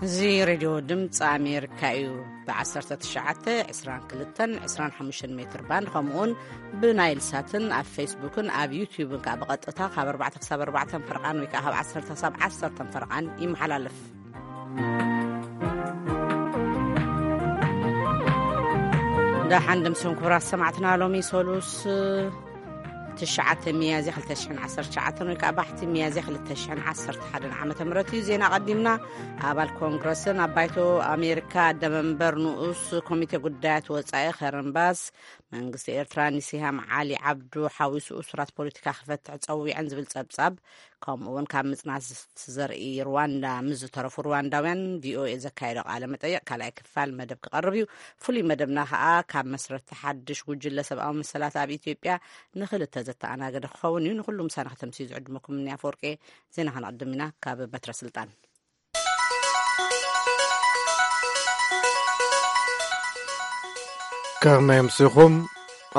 እዚ ሬድዮ ድምፂ ኣሜሪካ እዩ። ብ19፣ 22፣ 25 ሜትር ባንድ፣ ከምኡውን ብናይል ሳትን ኣብ ፌስቡክን ኣብ ዩቲዩብን ከዓ ብቐጥታ ካብ ኣርባዕተ ክሳብ ኣርባዕተ ፈርቓን ወይ ከዓ ካብ ዓሰርተ ክሳብ ዓሰርተ ፈርቓን ይመሓላለፍ። ደሓን ድምስን ክቡራት ሰማዕትና፣ ሎሚ ሰሉስ ትሽዓተ ሚያዝያ ክልተ ሽሕን ዓሰርተ ትሽዓተን ወይ ከዓ ባሕቲ ሚያዝያ ክልተ ሽሕን ዓሰርተ ሓደን ዓመተ ምህረት እዩ። ዜና ቀዲምና። ኣባል ኮንግረስን ኣብ ባይቶ ኣሜሪካ ኣደመንበር ንኡስ ኮሚቴ ጉዳያት ወፃኢ ከረን ባስ፣ መንግስቲ ኤርትራ ንሲሃም ዓሊ ዓብዱ ሓዊሱ እሱራት ፖለቲካ ክፈትሕ ጸዊዐን ዝብል ጸብጻብ፣ ከምኡ እውን ካብ ምጽናት ዘርኢ ሩዋንዳ ምስ ዝተረፉ ሩዋንዳውያን ቪኦኤ ዘካየዶ ቃለ መጠይቕ ካልኣይ ክፋል መደብ ክቐርብ እዩ። ፍሉይ መደብና ከኣ ካብ መስረቲ ሓድሽ ጉጅለ ሰብኣዊ መሰላት ኣብ ኢትዮጵያ ንኽልተ ዘተኣናገደ ክኸውን እዩ። ንኹሉ ምሳና ከተምስዩ ዝዕድመኩም እኒ ኣፈወርቂ። ዜና ከነቕድም ኢና። ካብ በትረ ስልጣን። ከመይ ኣምሲኹም?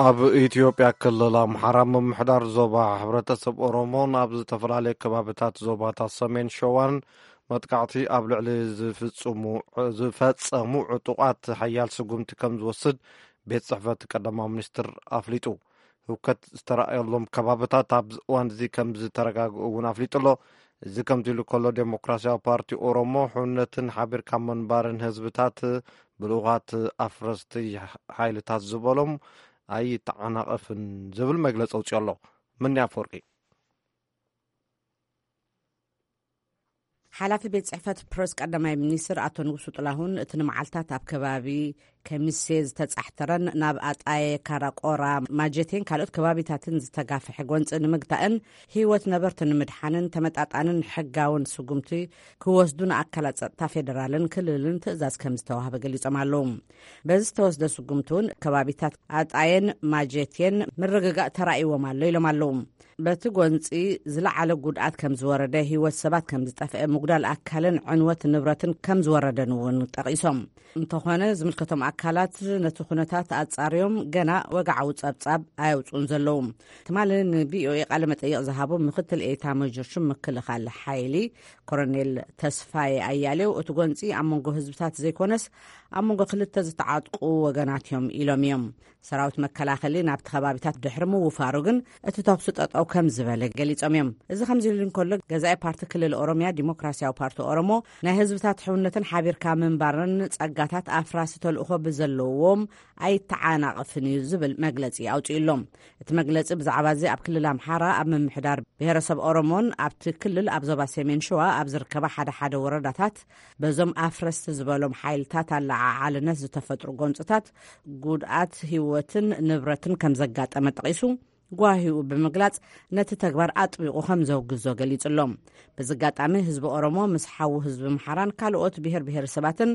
ኣብ ኢትዮጵያ ክልል ኣምሓራ ምምሕዳር ዞባ ሕብረተሰብ ኦሮሞን ኣብ ዝተፈላለዩ ከባብታት ዞባታት ሰሜን ሸዋን መጥቃዕቲ ኣብ ልዕሊ ዝፍጽሙ-፣ ዝፈጸሙ ዕጡቓት ሓያል ስጉምቲ ከም ዝወስድ ቤት ጽሕፈት ቀዳማዊ ሚኒስትር ኣፍሊጡ። ህውከት ዝተራእየሎም ከባብታት ኣብዚ እዋን እዚ ከም ዝተረጋግኡ እውን ኣፍሊጡ ኣሎ። እዚ ከምዚ ኢሉ ከሎ፣ ዴሞክራሲያዊ ፓርቲ ኦሮሞ ሕውነትን ሓቢርካ ምንባርን ህዝብታት ብልኡኻት ኣፍረስቲ ሓይልታት ዝበሎም ኣይተዓናቐፍን ዝብል መግለጺ ኣውጺኡ ኣሎ። ምኒ ኣፈወርቂ። ሓላፊ ቤት ጽሕፈት ፕረስ ቀዳማይ ሚኒስትር ኣቶ ንጉሱ ጥላሁን፣ እቲ ንመዓልታት ኣብ ከባቢ ከሚሴ ዝተጻሕተረን ናብ ኣጣየ፣ ካራቆራ፣ ማጀቴን ካልኦት ከባቢታትን ዝተጋፍሐ ጎንጺ ንምግታእን ህይወት ነበርቲ ንምድሓንን ተመጣጣንን ሕጋውን ስጉምቲ ክወስዱ ንኣካላት ጸጥታ ፌደራልን ክልልን ትእዛዝ ከም ዝተዋህበ ገሊጾም ኣለዉ። በዚ ዝተወስደ ስጉምቲ እውን ከባቢታት ኣጣየን ማጀቴን ምርግጋእ ተራእይዎም ኣሎ ኢሎም ኣለዉ። በቲ ጎንጺ ዝለዓለ ጉድኣት ከም ዝወረደ፣ ህይወት ሰባት ከም ዝጠፍአ፣ ምጉዳል ኣካልን ዕንወት ንብረትን ከም ዝወረደን እውን ጠቒሶም። እንተኾነ፣ ዝምልከቶም ኣካላት ነቲ ኩነታት ኣጻርዮም ገና ወግዓዊ ጸብጻብ ኣየውጽኡን ዘለዉ። ትማሊ ንቪኦኤ ቃለ መጠይቕ ዝሃቡ ምክትል ኤታ መጆር ሹም ምክልኻል ሓይሊ ኮሎኔል ተስፋዬ ኣያሌው፣ እቲ ጎንጺ ኣብ መንጎ ህዝብታት ዘይኮነስ ኣብ መንጎ ክልተ ዝተዓጥቁ ወገናት እዮም ኢሎም እዮም። ሰራዊት መከላኸሊ ናብቲ ከባቢታት ድሕሪ ምውፋሩ ግን፣ እቲ ተኹሲ ጠጠው ከም ዝበለ ገሊጾም እዮም። እዚ ከምዚ ኢሉ እንከሎ፣ ገዛኢ ፓርቲ ክልል ኦሮሚያ ዲሞክራሲያዊ ፓርቲ ኦሮሞ፣ ናይ ህዝብታት ሕውነትን ሓቢርካ ምንባርን ጸጋታት ኣፍራሲ ተልእኾ ብዘለዎም ኣይተዓናቕፍን እዩ ዝብል መግለጺ ኣውጺኡ ኣሎ። እቲ መግለጺ ብዛዕባ እዚ ኣብ ክልል ኣምሓራ ኣብ ምምሕዳር ብሔረሰብ ኦሮሞን ኣብቲ ክልል ኣብ ዞባ ሰሜን ሸዋ ኣብ ዝርከባ ሓደ ሓደ ወረዳታት በዞም ኣፍረስቲ ዝበሎም ሓይልታት ኣለዓዓልነት ዝተፈጥሩ ጎንጽታት ጉድኣት ህይወትን ንብረትን ከም ዘጋጠመ ጠቒሱ፣ ጓሂኡ ብምግላጽ፣ ነቲ ተግባር ኣጥቢቑ ከም ዘውግዞ ገሊጹ ኣሎ። በዚ ኣጋጣሚ፣ ህዝቢ ኦሮሞ ምስ ሓዉ ህዝቢ ኣምሓራን ካልኦት ብሔር ብሔረሰባትን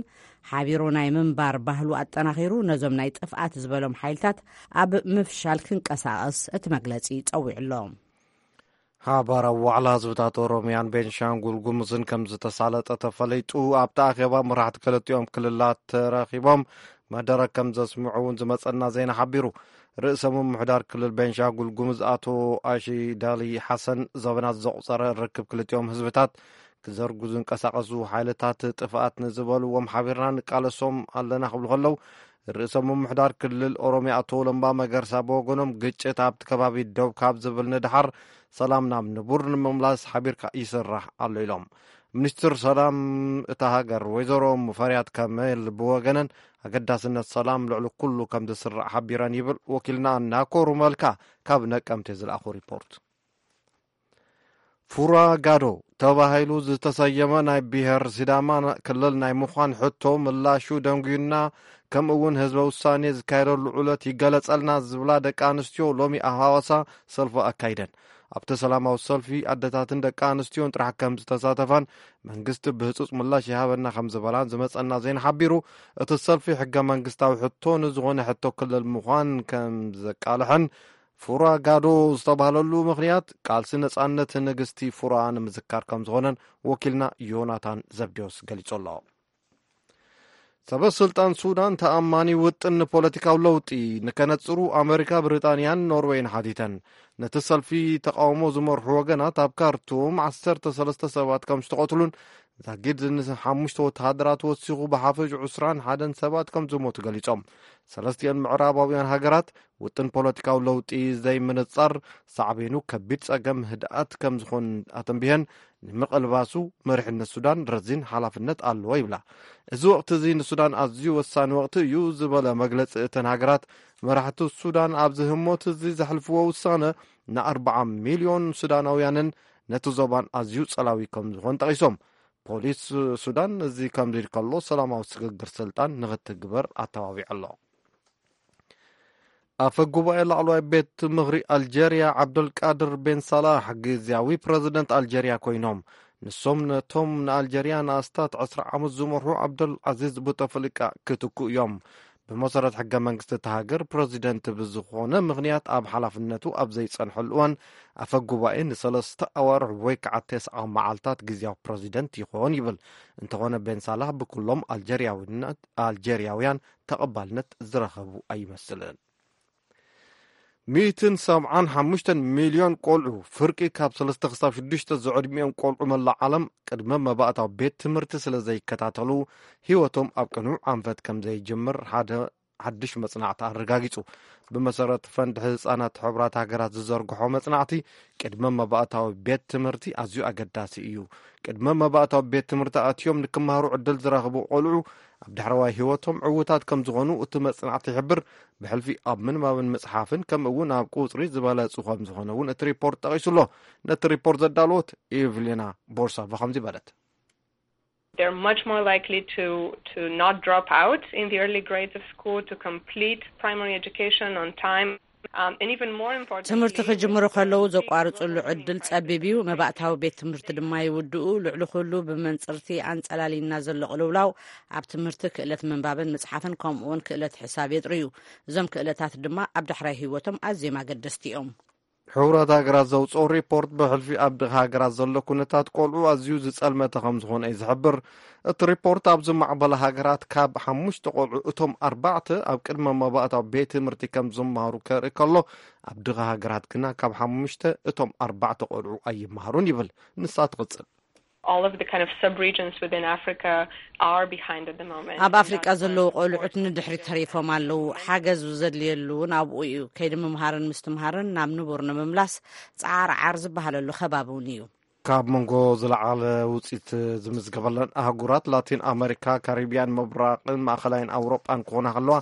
ሓቢሩ ናይ ምንባር ባህሉ ኣጠናኺሩ፣ ነዞም ናይ ጥፍኣት ዝበሎም ሓይልታት ኣብ ምፍሻል ክንቀሳቐስ እቲ መግለጺ ጸዊዑ ኣሎ። ሓባራዊ ዋዕላ ህዝብታት ኦሮሚያን ቤንሻንጉል ጉሙዝን ከም ዝተሳለጠ ተፈሊጡ። ኣብቲ ኣኼባ መራሕቲ ክልቲኦም ክልላት ተረኺቦም መደረ ከም ዘስምዑ እውን ዝመጸና ዜና ሓቢሩ። ርእሰ ምምሕዳር ክልል ቤንሻንጉል ጉሙዝ ኣቶ ኣሺ ዳሊ ሓሰን፣ ዘበናት ዘቑጸረ ርክብ ክልቲኦም ህዝብታት ክዘርጉ ዝንቀሳቐሱ ሓይልታት ጥፍኣት ንዝበልዎም ሓቢርና ንቃለሶም ኣለና ክብሉ ከለዉ፣ ርእሰ ምምሕዳር ክልል ኦሮሚያ ኣቶ ለማ መገርሳ ብወገኖም፣ ግጭት ኣብቲ ከባቢ ደው ካብ ዝብል ንድሓር ሰላም ናብ ንቡር ንምምላስ ሓቢርካ ይስራሕ ኣሎ ኢሎም። ሚኒስትር ሰላም እታ ሃገር ወይዘሮ ሙፈሪያት ከመል ብወገነን፣ ኣገዳስነት ሰላም ልዕሊ ኩሉ ከም ዝስራዕ ሓቢረን ይብል ወኪልና ናኮሩ መልካ ካብ ነቀምቴ ዝለኣኾ ሪፖርት። ፉራ ጋዶ ተባሂሉ ዝተሰየመ ናይ ብሔር ሲዳማ ክልል ናይ ምዃን ሕቶ ምላሹ ደንጉዩና፣ ከምኡ እውን ህዝበ ውሳኔ ዝካየደሉ ዕለት ይገለጸልና ዝብላ ደቂ ኣንስትዮ ሎሚ ኣብ ሃዋሳ ሰልፊ ኣካይደን። ኣብቲ ሰላማዊ ሰልፊ ኣደታትን ደቂ ኣንስትዮን ጥራሕ ከም ዝተሳተፋን መንግስቲ ብህጹጽ ምላሽ ይሃበና ከም ዝበላን ዝመጸና ዜና ሓቢሩ። እቲ ሰልፊ ሕገ መንግስታዊ ሕቶ ንዝኾነ ሕቶ ክልል ምዃን ከም ዘቃልሐን፣ ፉራ ጋዶ ዝተባህለሉ ምኽንያት ቃልሲ ነጻነት ንግስቲ ፉራ ንምዝካር ከም ዝኾነን ወኪልና ዮናታን ዘብዴዎስ ገሊጹ ኣሎ። ሰበ ስልጣን ሱዳን ተኣማኒ ውጥን ንፖለቲካዊ ለውጢ ንከነጽሩ ኣመሪካ፣ ብሪጣንያን ኖርዌይን ሓቲተን። ነቲ ሰልፊ ተቃውሞ ዝመርሑ ወገናት ኣብ ካርቱም ዓሰርተ ሰለስተ ሰባት ከም ዝተቐትሉን ዛጊድ ንሓሙሽተ ወተሃደራት ወሲኹ ብሓፈሽ ዕስራን ሓደን ሰባት ከም ዝሞቱ ገሊጾም። ሰለስቲኦን ምዕራባውያን ሃገራት ውጥን ፖለቲካዊ ለውጢ ዘይምንጻር ሳዕቤኑ ከቢድ ጸገም ህድኣት ከም ዝኾን ኣተንቢሀን፣ ንምቕልባሱ መሪሕነት ሱዳን ረዚን ሓላፍነት ኣለዎ ይብላ። እዚ ወቕቲ እዚ ንሱዳን ኣዝዩ ወሳኒ ወቕቲ እዩ ዝበለ መግለጺ እተን ሃገራት፣ መራሕቲ ሱዳን ኣብዚ ህሞት እዚ ዘሕልፍዎ ውሳነ ንኣርብዓ ሚልዮን ሱዳናውያንን ነቲ ዞባን ኣዝዩ ጸላዊ ከም ዝኾን ጠቒሶም። ፖሊስ ሱዳን እዚ ከምዚ ኢሉ ከሎ ሰላማዊ ስግግር ስልጣን ንኽትግበር ኣተባቢዑ ኣሎ። ኣፈ ጉባኤ ላዕለዋይ ቤት ምኽሪ ኣልጀርያ ዓብደልቃድር ቤን ሳላሕ ግዝያዊ ፕረዚደንት ኣልጀርያ ኮይኖም፣ ንሶም ነቶም ንኣልጀርያ ንኣስታት ዕስራ ዓመት ዝመርሑ ዓብደል ዓዚዝ ቡተፍሊቃ ክትክኡ እዮም። ብመሰረት ሕገ መንግስቲ እታ ሃገር፣ ፕረዚደንት ብዝኾነ ምኽንያት ኣብ ሓላፍነቱ ኣብ ዘይጸንሐሉ እዋን፣ ኣፈ ጉባኤ ንሰለስተ ኣዋርሕ ወይ ከዓ ተስዓ መዓልታት ግዝያዊ ፕረዚደንት ይኾን ይብል። እንተኾነ ቤን ሳላህ ብኩሎም ኣልጀርያውነት-፣ ኣልጀርያውያን ተቐባልነት ዝረኸቡ ኣይመስልን። ሚእትን ሰብዓን ሓሙሽተን ሚልዮን ቆልዑ፣ ፍርቂ ካብ ሰለስተ ክሳብ ሽዱሽተ ዝዕድሚኦም ቆልዑ መላእ ዓለም፣ ቅድመ መባእታዊ ቤት ትምህርቲ ስለ ዘይከታተሉ፣ ህይወቶም ኣብ ቅኑዕ ኣንፈት ከም ዘይጅምር ሓደ ሓድሽ መጽናዕቲ ኣረጋጊጹ። ብመሰረት ፈንድ ህጻናት ሕቡራት ሃገራት ዝዘርግሖ መጽናዕቲ፣ ቅድመ መባእታዊ ቤት ትምህርቲ ኣዝዩ ኣገዳሲ እዩ። ቅድመ መባእታዊ ቤት ትምህርቲ ኣትዮም ንክመሃሩ ዕድል ዝረኽቡ ቆልዑ፣ ኣብ ዳሕረዋይ ህይወቶም ዕዉታት ከም ዝኾኑ እቲ መጽናዕቲ ይሕብር። ብሕልፊ ኣብ ምንባብን ምጽሓፍን፣ ከምኡ እውን ኣብ ቁጽሪ ዝበለጹ ከም ዝኾነ እውን እቲ ሪፖርት ጠቒሱ ኣሎ። ነቲ ሪፖርት ዘዳለወት ኤቭሊና ቦርሳቫ ከምዚ በለት። They're much more likely to, to not drop out in the early grades of school, to complete primary education on time, um, and even more important, ትምህርቲ ክጅምሩ ከለዉ ዘቋርጽሉ ዕድል ጸቢብ እዩ። መባእታዊ ቤት ትምህርቲ ድማ ይውድኡ። ልዕሊ ኩሉ፣ ብመንጽርቲ ኣንጸላሊና ዘሎ ቅልውላው ኣብ ትምህርቲ፣ ክእለት ምንባብን ምጽሓፍን፣ ከምኡውን ክእለት ሕሳብ የጥርዩ። እዞም ክእለታት ድማ ኣብ ዳሕራይ ህይወቶም ኣዝዮም ኣገደስቲ እዮም። ሕቡራት ሃገራት ዘውፅኦ ሪፖርት፣ ብሕልፊ ኣብ ድኻ ሃገራት ዘሎ ኩነታት ቆልዑ ኣዝዩ ዝጸልመተ ከም ዝኾነ እዩ ዝሕብር። እቲ ሪፖርት፣ ኣብ ዝማዕበለ ሃገራት ካብ ሓሙሽተ ቆልዑ እቶም ኣርባዕተ ኣብ ቅድመ መባእታዊ ቤት ትምህርቲ ከም ዝመሃሩ ከርኢ ከሎ፣ ኣብ ድኻ ሃገራት ግና ካብ ሓሙሽተ እቶም ኣርባዕተ ቆልዑ ኣይመሃሩን ይብል። ንሳ ትቕጽል። All of the kind of sub-regions within Africa are behind at the moment. ኣብ ኣፍሪቃ ዘለዉ ቆልዑት ንድሕሪት ተሪፎም ኣለዉ። ሓገዝ ዘድልየሉ እውን ኣብኡ እዩ። ከይዲ ምምሃርን ምስትምሃርን ናብ ንቡር ንምምላስ ጻዓርዓር ዝበሃለሉ ከባቢ እውን እዩ። ካብ መንጎ ዝለዓለ ውፅኢት ዝምዝገበለን ኣህጉራት ላቲን ኣመሪካ፣ ካሪቢያን፣ ምብራቕን ማእኸላይን ኣውሮጳን ክኾና ከለዋ፣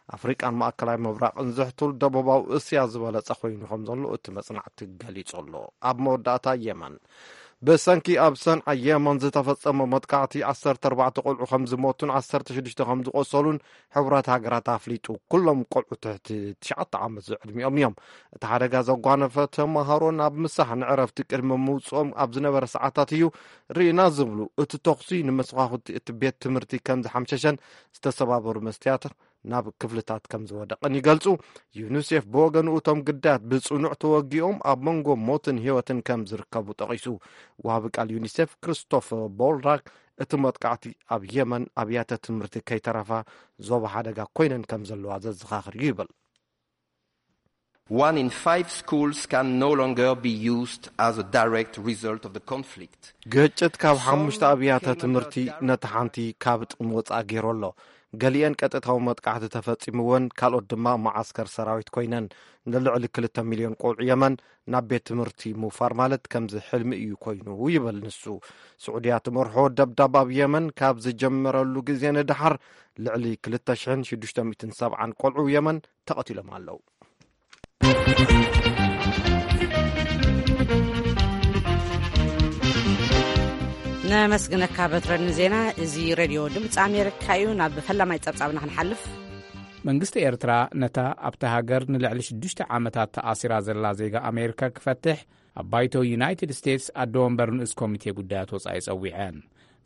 ኣፍሪቃን ማእከላይ ምብራቕን ዝሕቱል ደቡባዊ እስያ ዝበለጸ ኮይኑ ከም ዘሎ እቲ መጽናዕቲ ገሊጹ ኣሎ። ኣብ መወዳእታ፣ የመን። ብሰንኪ ኣብ ሰንዓ የመን ዝተፈጸመ መጥቃዕቲ ዓሰርተ ኣርባዕተ ቆልዑ ከም ዝሞቱን ዓሰርተ ሽዱሽተ ከም ዝቆሰሉን ሕቡራት ሃገራት ኣፍሊጡ። ኩሎም ቆልዑ ትሕቲ ትሽዓተ ዓመት ዝዕድሚኦም እዮም። እቲ ሓደጋ ዘጓነፈ ተመሃሮ ናብ ምሳሕ ንዕረፍቲ ቅድሚ ምውጽኦም ኣብ ዝነበረ ሰዓታት እዩ ርኢና ዝብሉ፣ እቲ ተኹሲ ንመስኳኹቲ እቲ ቤት ትምህርቲ ከም ዝሓምሸሸን ዝተሰባበሩ መስትያት ናብ ክፍልታት ከም ዝወደቐን ይገልጹ። ዩኒሴፍ ብወገኑ፣ እቶም ግዳያት ብጽኑዕ ተወጊኦም ኣብ መንጎ ሞትን ህይወትን ከም ዝርከቡ ጠቒሱ። ወሃቢ ቃል ዩኒሴፍ ክሪስቶፈር ቦልራክ፣ እቲ መጥቃዕቲ ኣብ የመን ኣብያተ ትምህርቲ ከይተረፋ ዞባ ሓደጋ ኮይነን ከም ዘለዋ ዘዘኻኽር እዩ ይብል። One in five schools can no longer be used as a direct result of the conflict. ግጭት ካብ ሓሙሽተ ኣብያተ ትምህርቲ ነቲ ሓንቲ ካብ ጥቕሚ ወጻኢ ገይሩ ኣሎ። ገሊአን ቀጥታዊ መጥቃዕቲ ተፈጺምወን፣ ካልኦት ድማ መዓስከር ሰራዊት ኮይነን። ንልዕሊ ክልተ ሚልዮን ቆልዑ የመን ናብ ቤት ትምህርቲ ምውፋር ማለት ከምዚ ሕልሚ እዩ ኮይኑ ይብል ንሱ። ስዑድያ ትመርሖ ደብዳብ ኣብ የመን ካብ ዝጀመረሉ ግዜ ንደሓር ልዕሊ ክልተ ሽሕን ሽዱሽተ ሚእትን ሰብዓን ቆልዑ የመን ተቐቲሎም ኣለዉ። ነመስግነካ በትረ ንዜና። እዚ ሬድዮ ድምፂ ኣሜሪካ እዩ። ናብ ፈላማይ ጸብጻብና ክንሓልፍ። መንግስቲ ኤርትራ ነታ ኣብታ ሃገር ንልዕሊ ሽዱሽተ ዓመታት ተኣሲራ ዘላ ዜጋ ኣሜሪካ ክፈትሕ ኣብ ባይቶ ዩናይትድ ስቴትስ ኣደ ወንበር ንኡስ ኮሚቴ ጉዳያት ወጻኢ ጸዊዐን።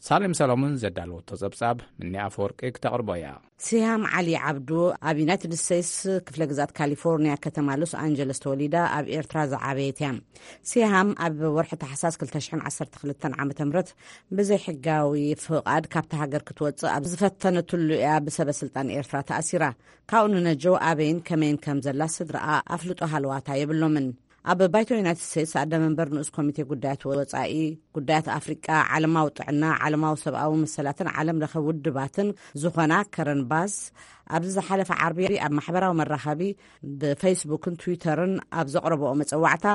ሳሌም ሰሎሞን ዘዳለወቶ ጸብጻብ፣ ምኒ ኣፈወርቂ ክተቕርቦ እያ። ሲሃም ዓሊ ዓብዱ ኣብ ዩናይትድ ስቴትስ ክፍለ ግዛት ካሊፎርኒያ ከተማ ሎስ ኣንጀለስ ተወሊዳ ኣብ ኤርትራ ዝዓበየት እያ። ሲሃም ኣብ ወርሒ ታሕሳስ ክልተ ሽሕን ዓሰርተ ክልተን ዓመተ ምህረት ብዘይ ሕጋዊ ፍቓድ ካብታ ሃገር ክትወጽእ ኣብ ዝፈተነትሉ እያ ብሰበ ስልጣን ኤርትራ ተኣሲራ። ካብኡ ንነጀው ኣበይን ከመይን ከም ዘላ ስድራኣ ኣፍልጦ ሃለዋታ የብሎምን። ኣብ ባይቶ ዩናይትድ ስቴትስ ኣደ መንበር ንኡስ ኮሚቴ ጉዳያት ወጻኢ ጉዳያት ኣፍሪቃ፣ ዓለማዊ ጥዕና፣ ዓለማዊ ሰብኣዊ መሰላትን ዓለም ለኸ ውድባትን ዝኾና ከረን ባስ፣ ኣብዚ ዝሓለፈ ዓርቢ ኣብ ማሕበራዊ መራኸቢ ብፌስቡክን ትዊተርን ኣብ ዘቕረብኦ መጸዋዕታ፣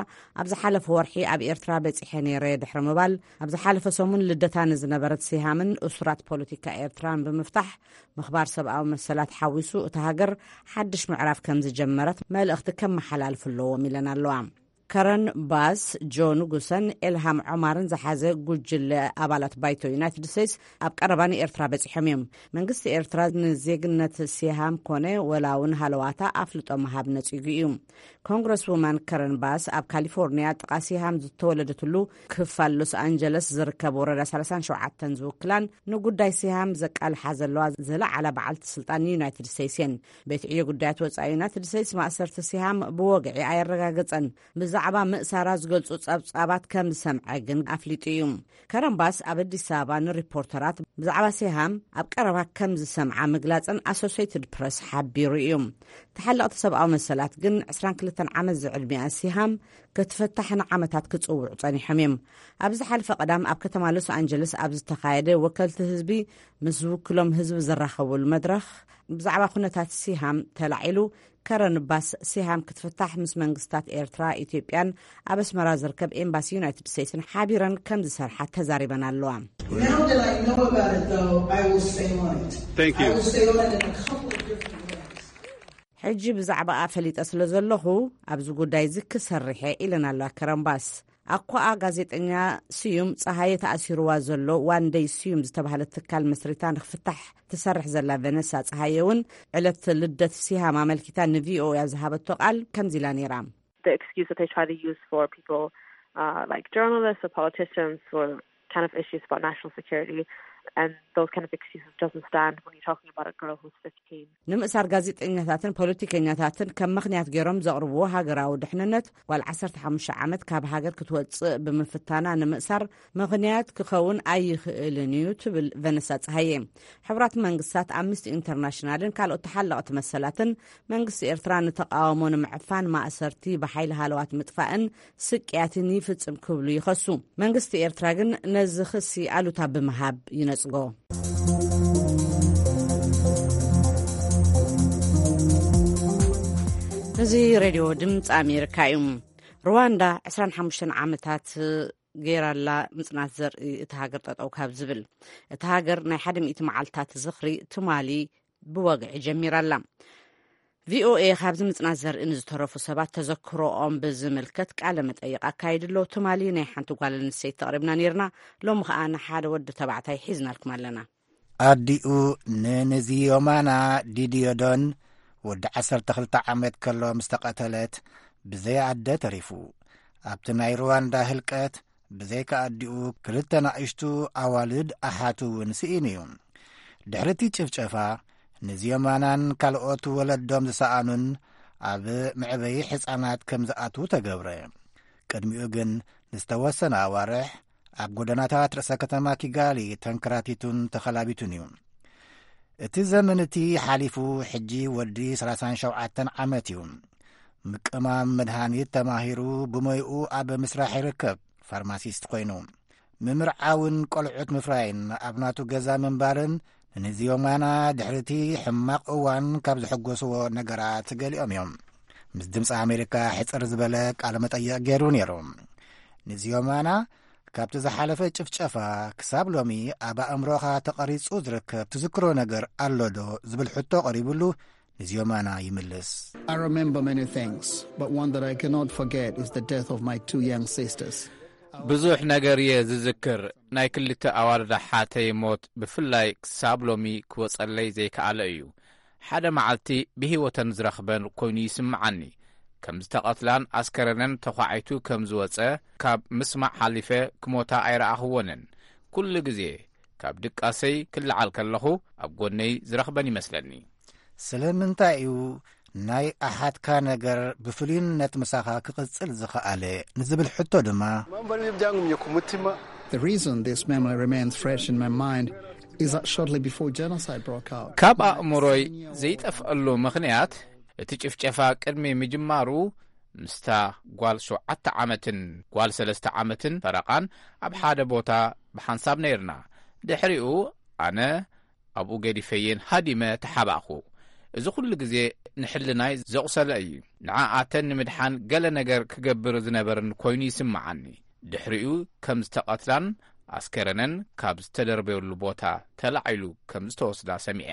ኣብ ዝሓለፈ ወርሒ ኣብ ኤርትራ በጺሐ ነይረ ድሕሪ ምባል፣ ኣብ ዝሓለፈ ሰሙን ልደታ ንዝነበረት ሲሃምን እሱራት ፖለቲካ ኤርትራን ብምፍታሕ፣ ምኽባር ሰብኣዊ መሰላት ሓዊሱ፣ እታ ሃገር ሓድሽ ምዕራፍ ከም ዝጀመረት መልእኽቲ ከመሓላልፉ ኣለዎም ኢለን ኣለዋ። ከረን ባስ፣ ጆ ንጉሰን ኤልሃም ዖማርን ዝሓዘ ጉጅለ ኣባላት ባይቶ ዩናይትድ ስቴትስ ኣብ ቀረባ ንኤርትራ በጺሖም እዮም። መንግስቲ ኤርትራ ንዜግነት ሲሃም ኮነ ወላ እውን ሃለዋታ ኣፍልጦ ምሃብ ነጺጉ እዩ። ኮንግረስ ውማን ከረን ባስ ኣብ ካሊፎርኒያ ጥቓ ሲሃም ዝተወለደትሉ ክፋል ሎስ ኣንጀለስ ዝርከብ ወረዳ ሰላሳን ሸውዓተን ዝውክላን ንጉዳይ ሲሃም ዘቃልሓ ዘለዋ ዝለዓላ በዓልቲ ስልጣን ዩናይትድ ስቴትስ እየን። ቤት ዕዮ ጉዳያት ወጻኢ ዩናይትድ ስቴትስ ማእሰርቲ ሲሃም ብወግዒ ኣየረጋገጸን። ብዛዕባ ምእሳራ ዝገልጹ ጸብጻባት ከም ዝሰምዐ ግን ኣፍሊጡ እዩ። ከረን ባስ ኣብ ኣዲስ ኣበባ ንሪፖርተራት ብዛዕባ ሲሃም ኣብ ቀረባ ከም ዝሰምዓ ምግላጸን ኣሶሴይትድ ፕረስ ሓቢሩ እዩ። ተሓለቕቲ ሰብኣዊ መሰላት ግን ዕስራን ክልተን ዓመት ዝዕድሚኣ ሲሃም ክትፍታሕ ንዓመታት ክጽውዑ ጸኒሖም እዮም። ኣብ ዝሓለፈ ቀዳም ኣብ ከተማ ሎስ ኣንጀለስ ኣብ ዝተኻየደ ወከልቲ ህዝቢ ምስ ዝውክሎም ህዝቢ ዘራኸቡሉ መድረኽ ብዛዕባ ኩነታት ሲሃም ተላዒሉ። ከረን ባስ፣ ሲሃም ክትፍታሕ ምስ መንግስታት ኤርትራ፣ ኢትዮጵያን ኣብ ኣስመራ ዝርከብ ኤምባሲ ዩናይትድ ስቴትስን ሓቢረን ከም ዝሰርሓ ተዛሪበን ኣለዋ። Now that I know about it, though, I will stay on it. Thank you. I will stay on it in a couple of different ways. ሕጂ ብዛዕባኣ ፈሊጠ ስለ ዘለኹ ኣብዚ ጉዳይ እዚ ክሰርሕ እየ ኢለን ኣለዋ ከረን ባስ። ኣኳኣ ጋዜጠኛ ስዩም ጸሃየ ተኣሲርዋ ዘሎ ዋንደይ ስዩም ዝተባህለ ትካል መስሪታ ንክፍታሕ ትሰርሕ ዘላ ቨነሳ ጸሃየ እውን ዕለት ልደት ሲሃም ኣመልኪታ ንቪኦኤ ኣብ ዝሃበቶ ቃል ከምዚ ኢላ ነይራ። The excuse that they try to use for people, uh, like journalists or politicians or kind of issues about national security, and those kind of excuses doesn't stand when you're talking about a girl who's fifteen. ንምእሳር ጋዜጠኛታትን ፖለቲከኛታትን ከም ምኽንያት ገይሮም ዘቕርብዎ ሃገራዊ ድሕንነት፣ ጓል ዓሰርተ ሓሙሽተ ዓመት ካብ ሃገር ክትወጽእ ብምፍታና ንምእሳር ምኽንያት ክኸውን ኣይኽእልን እዩ ትብል ቨነሳ ጸሃየ። ሕቡራት መንግስታት፣ ኣምነስቲ ኢንተርናሽናልን ካልኦት ተሓለቕቲ መሰላትን መንግስቲ ኤርትራ ንተቃውሞ ንምዕፋን ማእሰርቲ፣ ብሓይሊ ሃለዋት ምጥፋእን ስቅያትን ይፍጽም ክብሉ ይኸሱ። መንግስቲ ኤርትራ ግን ነዚ ክሲ ኣሉታ ብምሃብ ይነጽጎ። እዚ ሬድዮ ድምፂ ኣሜሪካ እዩ። ሩዋንዳ ዕስራን ሓሙሽተን ዓመታት ገይራላ ምጽናት ዘርኢ እቲ ሃገር ጠጠው ካብ ዝብል፣ እቲ ሃገር ናይ ሓደ ሚእቲ መዓልታት ዝኽሪ ትማሊ ብወግዒ ጀሚራላ። ቪኦኤ ካብዚ ምጽናት ዘርኢ ንዝተረፉ ሰባት ተዘክሮኦም ብዝምልከት ቃለ መጠይቕ ኣካይድሎ። ትማሊ ናይ ሓንቲ ጓል ኣንስተይቲ ተቕሪብና ነይርና። ሎሚ ኸኣ ንሓደ ወዲ ተባዕታይ ሒዝናልኩም ኣለና። ኣዲኡ ንንዚዮማና ዲዲዮዶን ወዲ ዓሰርተ ክልተ ዓመት ከሎ ምስ ተቐተለት፣ ብዘይ ኣደ ተሪፉ። ኣብቲ ናይ ሩዋንዳ ህልቀት፣ ብዘይካ ኣዲኡ፣ ክልተ ናእሽቱ ኣዋልድ ኣሓቱ እውን ስኢኑ እዩ። ድሕሪ እቲ ጭፍጨፋ፣ ንዚዮማናን ካልኦት ወለዶም ዝሰኣኑን ኣብ መዕበዪ ሕጻናት ከም ዝኣትዉ ተገብረ። ቅድሚኡ ግን ንዝተወሰነ ኣዋርሕ ኣብ ጎደናታት ርእሰ ከተማ ኪጋሊ ተንከራቲቱን ተኸላቢቱን እዩ። እቲ ዘመን እቲ ሓሊፉ፣ ሕጂ ወዲ ሰላሳን ሸውዓተን ዓመት እዩ። ምቅማም መድሃኒት ተማሂሩ፣ ብሞይኡ ኣብ ምስራሕ ይርከብ፣ ፋርማሲስት ኮይኑ። ምምርዓውን ቆልዑት ምፍራይን ኣብ ናቱ ገዛ ምንባርን ንዚዮማና ድሕሪ እቲ ሕማቕ እዋን ካብ ዘሐጎስዎ ነገራት ገሊኦም እዮም። ምስ ድምፂ ኣሜሪካ ሕፅር ዝበለ ቃለ መጠይቕ ገይሩ ነይሩ። ንዚዮማና ካብቲ ዝሓለፈ ጭፍጨፋ ክሳብ ሎሚ ኣብ ኣእምሮኻ ተቐሪጹ ዝርከብ ትዝክሮ ነገር ኣሎ ዶ? ዝብል ሕቶ ቀሪቡሉ፣ ንዚዮማና ይምልስ። I remember many things, but one that I cannot forget is the death of my two young sisters. ብዙሕ ነገር እየ ዝዝክር። ናይ ክልተ ኣዋልድ ኣሓተይ ሞት ብፍላይ ክሳብ ሎሚ ክወጸለይ ዘይከኣለ እዩ። ሓደ መዓልቲ ብህይወተን ዝረኽበን ኮይኑ ይስምዓኒ። ከም ዝተቐትላን ኣስከረነን ተዃዒቱ ከም ዝወጸ ካብ ምስማዕ ሓሊፈ ክሞታ ኣይረኣኽወንን። ኩሉ ግዜ ካብ ድቃሰይ ክለዓል ከለኹ ኣብ ጎነይ ዝረኽበን ይመስለኒ። ስለምንታይ እዩ ናይ ኣሓትካ ነገር ብፍሉይነት ምሳኻ ክቕጽል ዝኸኣለ ንዝብል ሕቶ ድማ፣ Impamvu ari byo byangumye ku mutima. The reason this memory remains fresh in my mind is that shortly before genocide broke out, ካብ ኣእምሮይ ዘይጠፍኣሉ ምኽንያት፣ እቲ ጭፍጨፋ ቅድሚ ምጅማሩ ምስታ ጓል ሸውዓተ ዓመትን ጓል ሰለስተ ዓመትን ፈረቓን ኣብ ሓደ ቦታ ብሓንሳብ ነይርና። ድሕሪኡ ኣነ ኣብኡ ገዲፈየን ሃዲመ ተሓባእኹ። እዚ ኩሉ ግዜ ንሕልናይ ዘቑሰለ እዩ። ንዓኣተን ንምድሓን ገለ ነገር ክገብር ዝነበርን ኮይኑ ይስምዓኒ። ድሕሪኡ ከም ዝተቐትላን ኣስከረነን ካብ ዝተደርበየሉ ቦታ ተላዒሉ ከም ዝተወስዳ ሰሚዐ።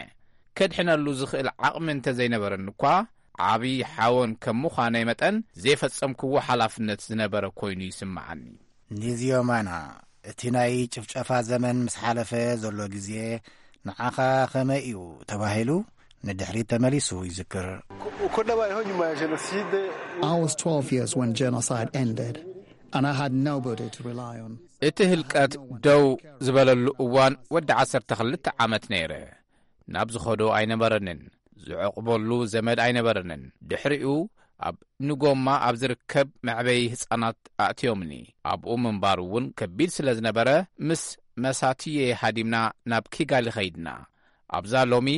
ከድሕነሉ ዝኽእል ዓቕሚ እንተዘይነበረኒ እኳ፣ ዓቢ ሓወን ከም ምዃነይ መጠን ዘይፈጸምክዎ ሓላፍነት ዝነበረ ኮይኑ ይስምዓኒ። ኒዚዮማና፣ እቲ ናይ ጭፍጨፋ ዘመን ምስ ሓለፈ ዘሎ ግዜ ንዓኻ ከመይ እዩ ተባሂሉ ንድሕሪት ተመሊሱ ይዝክር። I was twelve years when genocide ended, and I had nobody to rely on. እቲ ህልቀት ደው ዝበለሉ እዋን ወዲ ዓሰርተ ክልተ ዓመት ነይረ። ናብ ዝኸዶ ኣይነበረንን፣ ዝዕቕበሉ ዘመድ ኣይነበረንን። ድሕሪኡ ኣብ ንጎማ ኣብ ዝርከብ መዕበዪ ህጻናት ኣእትዮምኒ። ኣብኡ ምንባር እውን ከቢድ ስለ ዝነበረ፣ ምስ መሳትየይ ሃዲምና ናብ ኪጋሊ ኸይድና። ኣብዛ ሎሚ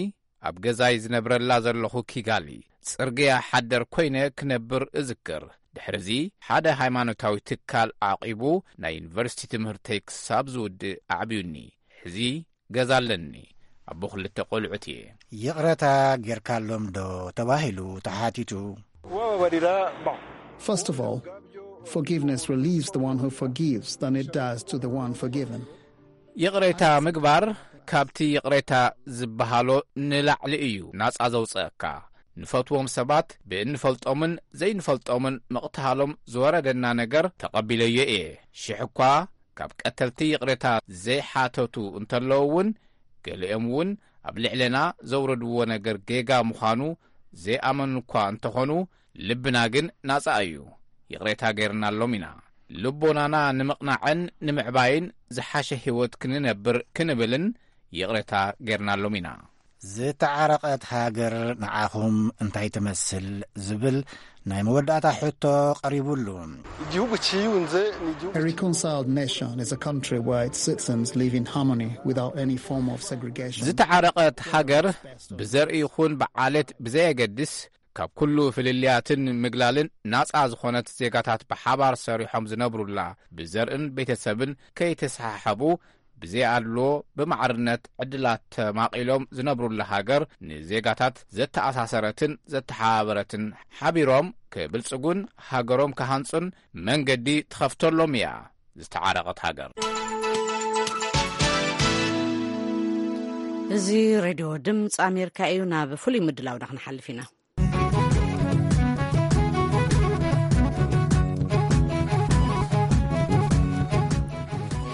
ኣብ ገዛይ ዝነብረላ ዘለኹ ኪጋሊ፣ ጽርግያ ሓደር ኮይነ ክነብር እዝክር። ድሕርዚ ሓደ ሃይማኖታዊ ትካል ዓቂቡ ናይ ዩኒቨርሲቲ ትምህርተይ ክሳብ ዝውድእ ኣዕብዩኒ። ሕዚ ገዛ ኣለኒ። ኣቦ ክልተ ቆልዑት እየ። ይቕረታ ጌርካሎም ዶ ተባሂሉ ተሓቲቱ። First of all, forgiveness relieves the one who forgives than it does to the one forgiven. ይቕሬታ ምግባር ካብቲ ይቕሬታ ዝበሃሎ ንላዕሊ እዩ ናጻ ዘውጽኣካ። ንፈትዎም ሰባት ብእንፈልጦምን ዘይንፈልጦምን ምቕትሃሎም ዝወረደና ነገር ተቐቢለዮ እየ። ሽሕ እኳ ካብ ቀተልቲ ይቕሬታ ዘይሓተቱ እንተለዉ እውን፣ ገሊኦም እውን ኣብ ልዕሌና ዘውረድዎ ነገር ጌጋ ምዃኑ ዘይኣመኑ እኳ እንተኾኑ፣ ልብና ግን ናጻ እዩ። ይቕሬታ ገይርናሎም ኢና። ልቦናና ንምቕናዕን ንምዕባይን ዝሓሸ ህይወት ክንነብር ክንብልን ይቕሬታ ገይርናሎም ኢና። ዝተዓረቐት ሃገር ንዓኹም እንታይ ትመስል ዝብል ናይ መወዳእታ ሕቶ ቀሪቡሉ። A reconciled nation is a country where its citizens live in harmony without any form of segregation. ዝተዓረቐት ሃገር ብዘርኢ ይኹን ብዓሌት ብዘየገድስ ካብ ኩሉ ፍልልያትን ምግላልን ናጻ ዝኾነት ዜጋታት ብሓባር ሰሪሖም ዝነብሩላ፣ ብዘርእን ቤተሰብን ከይተሰሓሓቡ ብዘይኣድልዎ ብማዕርነት ዕድላት ተማቒሎም ዝነብሩላ ሃገር ንዜጋታት ዘተኣሳሰረትን ዘተሓባበረትን ሓቢሮም ክብልጽጉን ሃገሮም ክሃንጹን መንገዲ ትኸፍተሎም እያ ዝተዓረቐት ሃገር። እዚ ሬድዮ ድምፂ ኣሜሪካ እዩ። ናብ ፍሉይ ምድላውና ክንሓልፍ ኢና።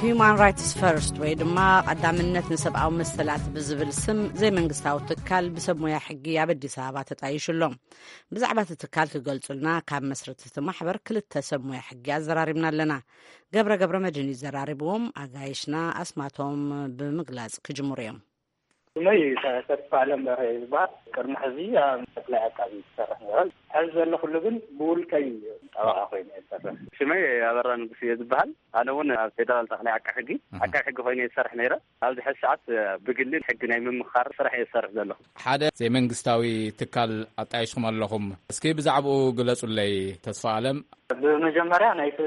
ሂዩማን ራይትስ ፈርስት ወይ ድማ ቀዳምነት ንሰብኣዊ መሰላት ብዝብል ስም ዘይመንግስታዊ ትካል ብሰብ ሞያ ሕጊ ኣብ ኣዲስ ኣበባ ተጣይሹ ኣሎ። ብዛዕባ እቲ ትካል ክገልጹልና ካብ መስረቲ እቲ ማሕበር ክልተ ሰብ ሞያ ሕጊ ኣዘራሪብና ኣለና። ገብረ ገብረ መድህን እዩ ዘራሪብዎም። ኣጋይሽና ኣስማቶም ብምግላጽ ክጅምሩ እዮም። ስመይ ተስፋ ኣለም በርሀ ይበሃል። ቅድሚ ሕዚ ኣብ ጠቅላይ ዓቃቢ ዝሰርሕ ነይረ። ሕዚ ዘለኹሉ ግን ብውልቀይ ጠበቓ ኮይነ እየ ዝሰርሕ። ሽመይ ኣበራ ንጉስ እየ ዝበሃል። ኣነ እውን ኣብ ፌደራል ጠቅላይ ዓቃቢ ሕጊ፣ ኣሃ። ዓቃቢ ሕጊ ኮይነ እየ ዝሰርሕ ነይረ። ኣብዚ ሕዚ ሰዓት ብግሊ ሕጊ ናይ ምምኻር ስራሕ እየ ዝሰርሕ ዘለኹ። ሓደ ዘይመንግስታዊ ትካል ኣጣይሽኩም ኣለኹም። እስኪ ብዛዕባኡ ግለጹለይ ተስፋ ኣለም። ብመጀመርያ ናይቲ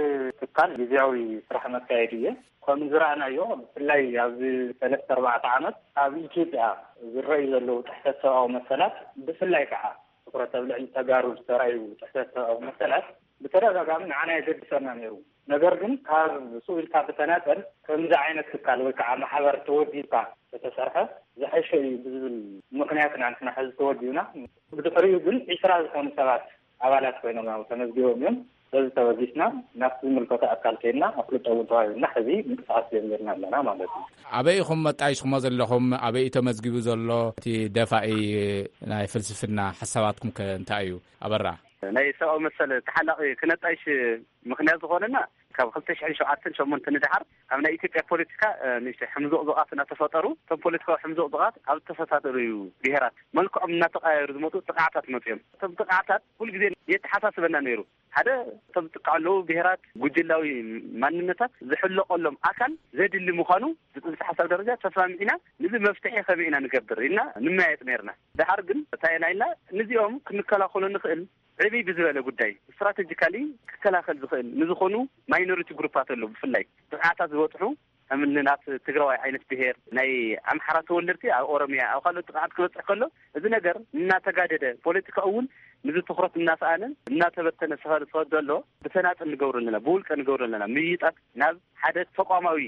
ትካል ግዝያዊ ስራሕ መካየዲ እየ። ከም ዝረኣናዮ፣ ብፍላይ ኣብዚ ሰለስተ ኣርባዕተ ዓመት ኣብ ኢትዮጵያ ዝረኣዩ ዘለዉ ጥሕሰት ሰብኣዊ መሰላት፣ ብፍላይ ከዓ ትኹረት ኣብ ልዕሊ ተጋሩ ዝተራእዩ ጥሕሰት ሰብኣዊ መሰላት ብተደጋጋሚ ንዓና የገድሰና ነይሩ። ነገር ግን ካብ ስኡ ኢልካ ብተናጸል ከምዚ ዓይነት ትካል ወይ ከዓ ማሕበር ተወዲብካ ተተሰርሐ ዝሐሸ እዩ ብዝብል ምኽንያት ኢና ንሕና ሕዚ ተወዲብና። ብድሕሪኡ ግን ዒስራ ዝኾኑ ሰባት ኣባላት ኮይኖም ያው ተመዝጊቦም እዮም። በዚ ተበጊስና ናብቲ ዝምልከቶ ኣካል ከይድና ኣፍልጦ እውን ተዋሂብና ሕዚ ምንቅስቃስ ጀሚርና ኣለና ማለት እዩ። ኣበይ ኢኹም መጣይሽኩሞ ዘለኹም? ኣበይ እዩ ተመዝጊቡ ዘሎ? እቲ ደፋኢ ናይ ፍልስፍና ሓሳባትኩም ከ እንታይ እዩ? ኣበራ። ናይ ሰብኣዊ መሰል ተሓላቒ ክነጣይሽ ምኽንያት ዝኾነና ካብ ክልተ ሽሕን ሸውዓተን ሸሞንተን ንደሓር ኣብ ናይ ኢትዮጵያ ፖለቲካ ንእሽተይ ሕምዞቕዞቓት እናተፈጠሩ እቶም ፖለቲካዊ ሕምዞቕዞቓት ኣብ ዝተፈታተሉ ብሄራት መልክዖም እናተቐያየሩ ዝመጡ ጥቕዓታት መፅኦም። እቶም ጥቕዓታት ኩሉ ግዜ የተሓሳስበና ነይሩ። ሓደ እቶም ዝጥቃዑ ኣለዉ ብሄራት ጉጅላዊ ማንነታት ዝሕለቐሎም ኣካል ዘድሊ ምዃኑ ብፅንሰ ሓሳብ ደረጃ ተስማሚዕና፣ ንዚ መፍትሒ ከመይ ኢና ንገብር ኢልና ንመያየጥ ነይርና። ደሓር ግን እንታይ ኢና ኢልና፣ ንዚኦም ክንከላኸሎ ንኽእል ዕብይ ብዝበለ ጉዳይ ስትራቴጂካሊ ክከላኸል ዝኽእል ንዝኾኑ ማይኖሪቲ ግሩፓት ኣሎ። ብፍላይ ጥቕዓታት ዝበፅሑ ከም እኒ ናት ትግራዋይ ዓይነት ብሄር፣ ናይ ኣምሓራ ተወለድቲ ኣብ ኦሮሚያ፣ ኣብ ካልኦት ጥቕዓት ክበፅሕ ከሎ፣ እዚ ነገር እናተጋደደ፣ ፖለቲካኡ እውን ንዚ ትኹረት እናሰኣነ እናተበተነ ስኸ- ስኸዶ ኣሎ። ብተናጥል ንገብሮ ኣለና፣ ብውልቀ ንገብሮ ኣለና። ምይይጣት ናብ ሓደ ተቋማዊ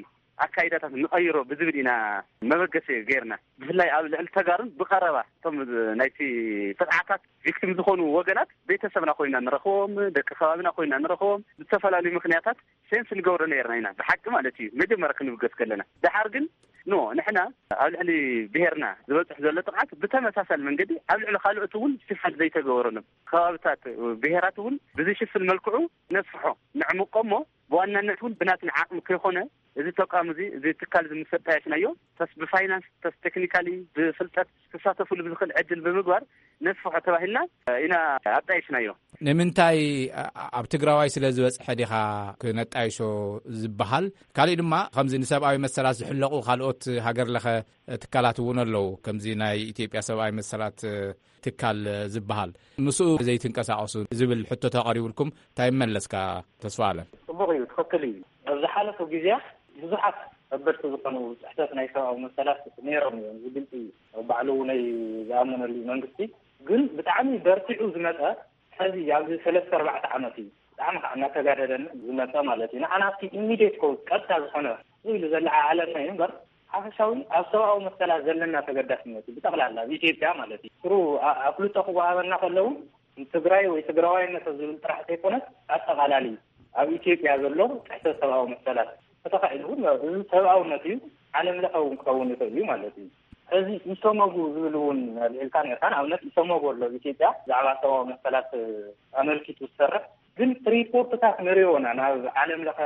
ኣካይዳታት ንቐይሮ ብዝብል ኢና መበገሲ ገይርና። ብፍላይ ኣብ ልዕሊ ተጋሩን ብቐረባ እቶም ናይቲ ጥቕዓታት ቪክቲም ዝኾኑ ወገናት ቤተሰብና ኮይና ንረኽቦም፣ ደቂ ከባቢና ኮይና ንረኽቦም፣ ብዝተፈላለዩ ምኽንያታት ሴንስ ንገብሮ ነይርና ኢና፣ ብሓቂ ማለት እዩ፣ መጀመርያ ክንብገስ ከለና። ደሓር ግን ኖ፣ ንሕና ኣብ ልዕሊ ብሄርና ዝበፅሕ ዘሎ ጥቕዓት ብተመሳሳሊ መንገዲ ኣብ ልዕሊ ካልኦት እውን ሽፋን ዘይተገበረሎም ከባብታት፣ ብሄራት እውን ብዝሽፍን መልክዑ ነስፍሖ፣ ነዕምቆ እሞ ብዋናነት እውን ብናትና ዓቕሚ ከይኮነ፣ እዚ ተቋም እዚ፣ እዚ ትካል እዚ ምስ ኣጣየሽናዮ፣ ተስ ብፋይናንስ፣ ተስ ቴክኒካሊ፣ ብፍልጠት ክሳተፉሉ ብዝኽእል ዕድል ብምግባር ነስፍሖ ተባሂልና ኢና ኣጣየሽናዮ። ንምንታይ ኣ- ኣብ ትግራዋይ ስለ ዝበፅሐ ዲኻ ክነጣይሾ ዝበሃል? ካሊእ ድማ ከምዚ ንሰብኣዊ መሰላት ዝሕለቑ ካልኦት ሃገር ለኸ ትካላት እውን ኣለዉ፣ ከምዚ ናይ ኢትዮጵያ ሰብኣዊ መሰላት ትካል ዝበሃል፣ ምስኡ ዘይትንቀሳቐሱ ዝብል ሕቶ ተቐሪቡልኩም እንታይ መለስካ ተስፋ ኣለም? ጽቡቕ እዩ፣ ትኽክል እዩ። ኣብ ዝሓለፉ ግዜያት ብዙሓት ከበድቲ ዝኾኑ ጥሕሰት ናይ ሰብኣዊ መሰላት ነይሮም እዮም፣ እዚ ግልጺ እዩ። ባዕሉ እውን ዝኣመነሉ መንግስቲ ግን ብጣዕሚ በርቲዑ ዝመጸ፣ ሕዚ ኣብዚ ሰለስተ ኣርባዕተ ዓመት እዩ ብጣዕሚ ከዓ እናተጋደደን ዝመጸ ማለት እዩ። ንዓና ኣብቲ ኢሚዲየት ኮዝ ቀጥታ ዝኾነ ኢሉ ዘለዓዓለና እዩ እምበር፣ ሓፈሻዊ ኣብ ሰብኣዊ መሰላት ዘለና ተገዳስነት እዩ ብጠቕላላ ኣብ ኢትዮጵያ ማለት እዩ። ስሩ ኣ- ኣፍልጦ ክወሃበና ከለዉ ትግራይ ወይ ትግራዋይነት ዝብል ጥራሕ ዘይኮነስ ኣጠቓላሊ ኣብ ኢትዮጵያ ዘሎ ጥሕሰት ሰብኣዊ መሰላት፣ ተተኻኢሉ እውን እዚ ሰብኣውነት እዩ፣ ዓለም ለኸ እውን ክኸውን ይኽእል እዩ ማለት እዩ። ሕዚ ኢሰመጉ ዝብል እውን ኣልዒልካ ነርካ። ንኣብነት ኢሰመጉ ኣሎ ኣብ ኢትዮጵያ ብዛዕባ ሰብኣዊ መሰላት ኣመልኪቱ ዝሰርሕ፣ ግን ሪፖርትታት ንሪኦ ኢና ናብ ዓለም ለኸ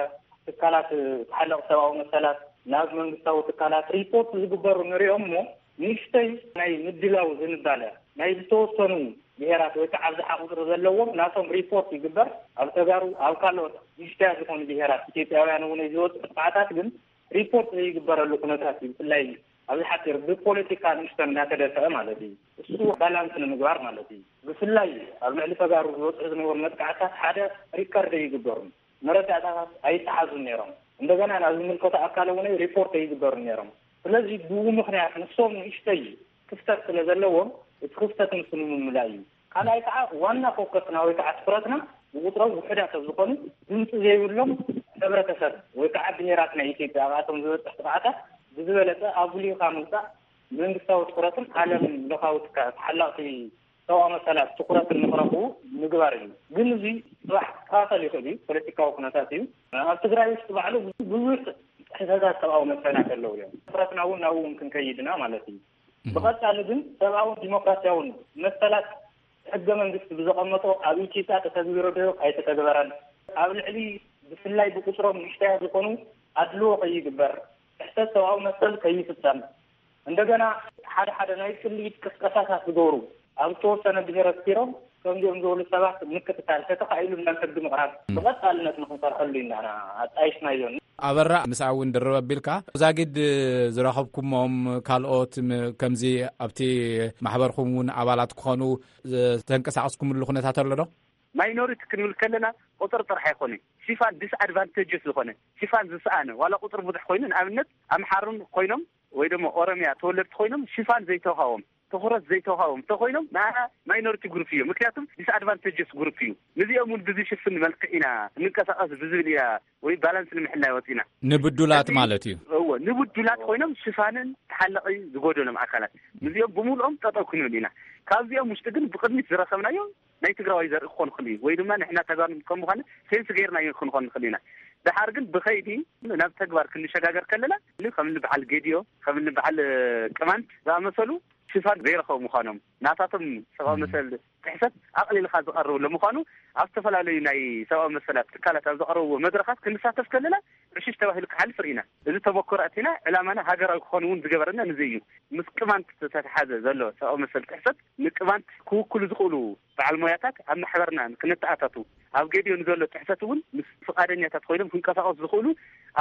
ትካላት ተሓለቕ ሰብኣዊ መሰላት፣ ናብ መንግስታዊ ትካላት ሪፖርት ዝግበሩ ንሪኦም እሞ ንእሽተይ ናይ ምድላው ዝንባለ ናይ ዝተወሰኑ ብሄራት ወይ ከዓ ኣብዝሓ ቁፅሪ ዘለዎም ናቶም ሪፖርት ይግበር። ኣብ ተጋሩ፣ ኣብ ካልኦት ንእሽተያ ዝኾኑ ብሄራት ኢትዮጵያውያን እውን ዝወፅኡ ጥቕዓታት ግን ሪፖርት ዘይግበረሉ ኩነታት እዩ። ብፍላይ ኣብዚ ሓፂር ብፖለቲካ ንእሽተን እናተደፈአ ማለት እዩ። እሱ ባላንስ ንምግባር ማለት እዩ። ብፍላይ ኣብ ልዕሊ ተጋሩ ዝበፅሑ ዝነበሩ መጥቃዕታት ሓደ ሪከርድ ኣይግበሩን፣ መረዳእታታት ኣይተሓዙን ነይሮም። እንደገና ናብ ዝምልከቶ ኣካል እውን ሪፖርት ኣይግበሩን ነይሮም። ስለዚ ብኡ ምክንያት ንሶም ንእሽተይ ክፍተት ስለ ዘለዎም እቲ ክፍተት ንሱ ንምምላእ እዩ። ካልኣይ ከዓ ዋና ፎከስና ወይ ከዓ ትኩረትና ብቁፅሮም ውሑዳት ኣብ ዝኾኑ ድምፂ ዘይብሎም ሕብረተሰብ ወይ ከዓ ብሄራት ናይ ኢትዮጵያ ኣብኣቶም ዝበፅሕ ጥቕዓታት ብዝበለፀ ኣጉሊህካ ምምፃእ መንግስታዊ ትኩረትን ዓለም ለኻዊ ትካ- ተሓለቕቲ ሰብኣዊ መሰላት ትኩረትን ንክረኽቡ ምግባር እዩ። ግን እዚ ፅባሕ ክኸኸል ይኽእል እዩ፣ ፖለቲካዊ ኩነታት እዩ። ኣብ ትግራይ ውሽጢ ባዕሉ ብዙሕ ጥሕሰታት ሰብኣዊ መሰላት ኣለዉ እዮም። ትኩረትና እውን ናብኡ እውን ክንከይድና ማለት እዩ። ብቐጻሊ ግን ሰብኣውን ዲሞክራሲያውን መሰላት ሕገ መንግስቲ ብዘቐመጦ ኣብ ኢትዮጵያ ተተግቢሩ ዶ ኣይተተግበረን? ኣብ ልዕሊ ብፍላይ ብቁፅሮም ንእሽተያት ዝኾኑ ኣድልዎ ከይግበር፣ ጥሕሰት ሰብኣዊ መሰል ከይፍጸም፣ እንደገና ሓደ ሓደ ናይ ጽልኢት ቅስቀሳታት ዝገብሩ ኣብ ዝተወሰነ ብሄር ኣስፊሮም ከምዚኦም ዝበሉ ሰባት ምክትታል፣ ተተኻኢሉ ናብ ሕጊ ምቕራብ ብቐጻልነት ንክንሰርሐሉ ኢና ኣጣይሽናዮ። ኣበራ፣ ምስኣ እውን ድርብ ኣቢልካ ዛጊድ ዝረኸብኩሞም ካልኦት ም- ከምዚ ኣብቲ ማሕበርኩም እውን ኣባላት ክኾኑ ዝተንቀሳቐስኩምሉ ኩነታት ኣሎ ዶ? ማይኖሪቲ ክንብል ከለና ቁፅሪ ጥራሕ ኣይኮነ፣ ሽፋን ዲስኣድቫንቴጅስ ዝኾነ ሽፋን ዝሰኣነ ዋላ ቁፅሪ ብዙሕ ኮይኑ ንኣብነት ኣምሓሩን ኮይኖም ወይ ደሞ ኦሮሚያ ተወለድቲ ኮይኖም ሽፋን ዘይተውሃቦም ትኹረት ዘይተውሃቦም እንተኮይኖም ንኣና ማይኖሪቲ ግሩፕ እዮም። ምክንያቱም ዲስኣድቫንቴጅስ ግሩፕ እዩ። ንዚኦም እውን ብዝሽፍን መልክዕ ኢና እንንቀሳቐስ ብዝብል ኢና ወይ ባላንስ ንምሕላይ ወፂና። ንብዱላት ሕዚ ማለት እዩ። እዎ ንብዱላት ኮይኖም ሽፋንን ተሓለቒ ዝጎደሎም ኣካላት ንዚኦም ብምሉኦም ጠጠው ክንብል ኢና። ካብዚኦም ውሽጢ ግን ብቅድሚት ዝረኸብናዮ ናይ ትግራዋይ ዘርኢ ክኾን ይኽእል እዩ ወይ ድማ ንሕና ተጋሩ ከም ምዃነ ሴንስ ገይርናዮ ክንኾን ንኽእል ኢና። ደሓር ግን ብኸይዲ ናብ ተግባር ክንሸጋገር ከለና ከም በዓል ጌዲዮ ከም በዓል ቅማንት ዝኣመሰሉ ሽፋን ዘይረኸቡ ምዃኖም ናታቶም ሰብኣዊ መሰል ጥሕሰት ኣቕሊልካ ዝቐርብ ለምዃኑ ኣብ ዝተፈላለዩ ናይ ሰብኣዊ መሰላት ትካላት ኣብ ዘቕረብዎ መድረኻት ክንሳተፍ ከለና ዕሽሽ ተባሂሉ ክሓልፍ ርኢና። እዚ ተመክሮ ኣቲና ዕላማና ሃገራዊ ክኾን እውን ዝገበረና ንዚ እዩ። ምስ ቅማንት ዝተተሓዘ ዘሎ ሰብኣዊ መሰል ጥሕሰት ንቅማንት ክውክሉ ዝኽእሉ በዓል ሞያታት ኣብ ማሕበርና ክነተኣታቱ ኣብ ገዲኦ ንዘሎ ጥሕሰት እውን ምስ ፍቓደኛታት ኮይኖም ክንቀሳቐሱ ዝኽእሉ